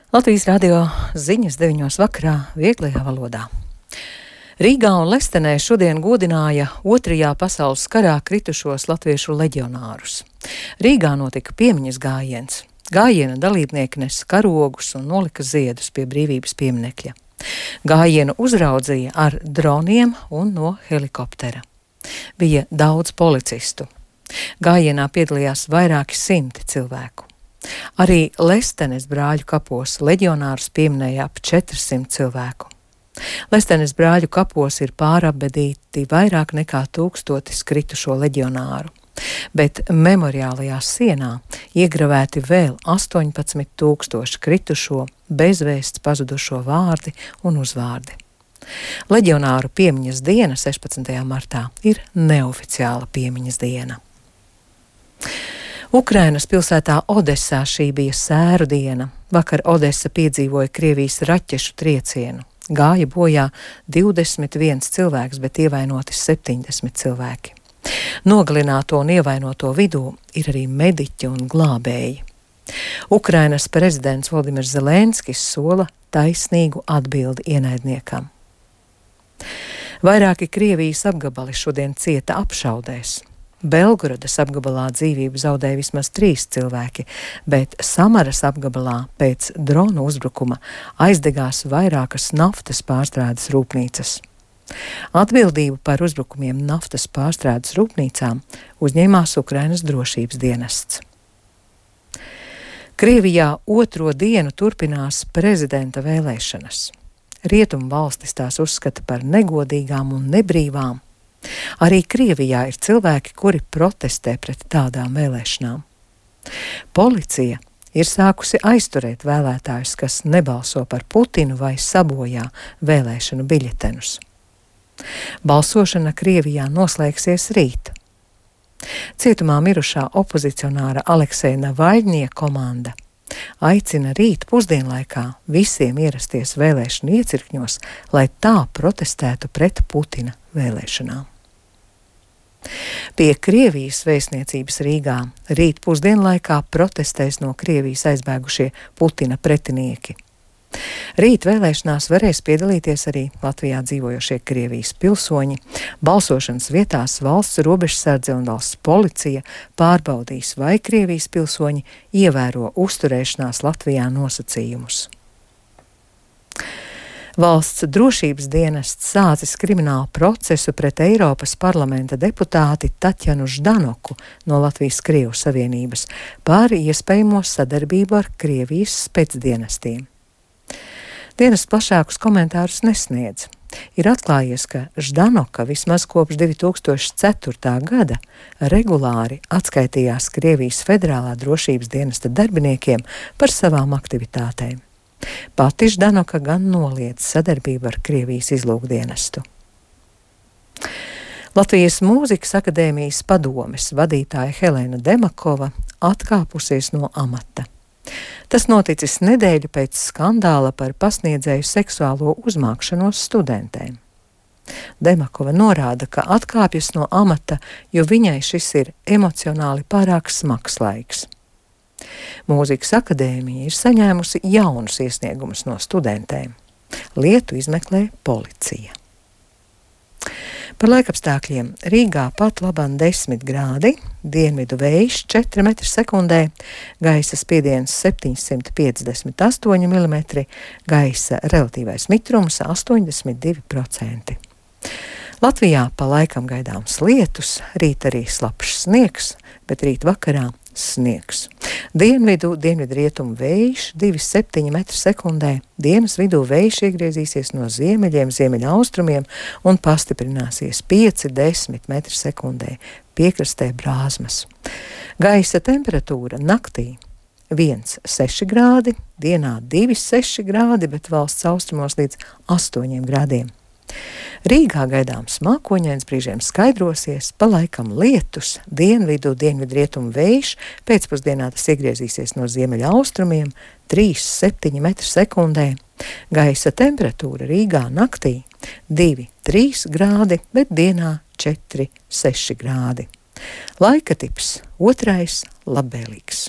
Latvijas radio ziņas 9 vakarā vieglajā valodā. Rīgā un Lestenē šodien godināja Otrajā pasaules karā kritušos latviešu leģionārus. Rīgā notika piemiņas gājiens. Gājiena dalībnieki nes karogus un nolika ziedus pie brīvības pieminekļa. Gājienu uzraudzīja ar droniem un no helikoptera. Bija daudz policistu. Gājienā piedalījās vairāki simti cilvēku. Arī Lestenes brāļu kapos leģionārus pieminēja ap 400 cilvēku. Lestenes brāļu kapos ir pārapbedīti vairāk nekā 1000 kritušo leģionāru, bet memoriālajā sienā iegravēti vēl 18,000 kritušo, bezvēsts pazudušo vārdi un uzvārdi. Leģionāru piemiņas diena 16. martā ir neoficiāla piemiņas diena. Ukrainas pilsētā Odesā šī bija sēru diena. Vakar Odesa piedzīvoja Krievijas raķešu triecienu. Gāja bojā 21 cilvēks, bet ievainoti 70 cilvēki. Nogalināto un ievainoto vidū ir arī mediķi un glābēji. Ukrainas prezidents Volodimirs Zelenskis sola taisnīgu atbildi ienaidniekam. Vairāki Krievijas apgabali šodien cieta apšaudēs. Belgorodas apgabalā dzīvību zaudēja vismaz 3 cilvēki, bet Samaras apgabalā pēc dronu uzbrukuma aizdegās vairākas naftas pārstrādes rūpnīcas. Atbildību par uzbrukumiem naftas pārstrādes rūpnīcām uzņēmās Ukrainas drošības dienests. Krievijā 2. dienu turpinās prezidenta vēlēšanas. Rietumu valstis tās uzskata par negodīgām un nebrīvām. Arī Krievijā ir cilvēki, kuri protestē pret tādām vēlēšanām. Policija ir sākusi aizturēt vēlētājus, kas nebalso par Putinu vai sabojā vēlēšanu biļetenus. Balsošana Krievijā noslēgsies rīt. Cietumā mirušā opozicionāra Alekseja Navaļņie komanda aicina rīt pusdienlaikā visiem ierasties vēlēšanu iecirkņos, lai tā protestētu pret Putina vēlēšanām. Pie Krievijas vēstniecības Rīgā rīt pusdienlaikā protestēs no Krievijas aizbēgušie Putina pretinieki. Rīt vēlēšanās varēs piedalīties arī Latvijā dzīvojošie Krievijas pilsoņi. Balsošanas vietās valsts robežsardze un valsts policija pārbaudīs, vai Krievijas pilsoņi ievēro uzturēšanās Latvijā nosacījumus. Valsts drošības dienests sācis kriminālu procesu pret Eiropas parlamenta deputāti Tatjanu Ždanoku no Latvijas Krievu Savienības par iespējamo sadarbību ar Krievijas specdienestiem. Dienests plašākus komentārus nesniedz. Ir atklājies, ka Ždanoka vismaz kopš 2004. gada regulāri atskaitījās Krievijas federālā drošības dienesta darbiniekiem par savām aktivitātēm. Pati Ždanoka gan noliedz sadarbību ar Krievijas izlūkdienestu. Latvijas Mūzikas akadēmijas padomes vadītāja Helēna Demakova atkāpusies no amata. Tas noticis nedēļu pēc skandāla par pasniedzēju seksuālo uzmākšanos studentēm. Demakova norāda, ka atkāpjas no amata, jo viņai šis ir emocionāli pārāk smags laiks. Mūzikas akadēmija ir saņēmusi jaunus iesniegumus no studentēm. Lietu izmeklē policija. Par laikapstākļiem Rīgā pat labam 10 grādi, dienvidu vējš 4 m/sekundē, gaisa spiediens 758 mm, gaisa relatīvais mitrums 82%. Latvijā pa laikam gaidāms lietus, rīt arī slapjš sniegs, bet rīt vakarā sniegs. Dienvidrietumu vējš 2,7 m/sekundē, dienas vidū vējš iegriezīsies no ziemeļiem, ziemeļaustrumiem un pastiprināsies 5–10 m/sekundē, piekrastē brāzmas. Gaisa temperatūra naktī 1,6 grādi, dienā 2,6 grādi, bet valsts austrumos līdz 8 grādiem. Rīgā gaidāms mākoņains, brīžiem skaidrosies, pa laikam lietus, dienvidrietumu vējš, pēcpusdienā tas iegriezīsies no ziemeļa austrumiem 3,7 m/sekundē. Gaisa temperatūra Rīgā naktī 2,3 grādi, bet dienā 4,6 grādi. Laika tips 2. labvēlīgs.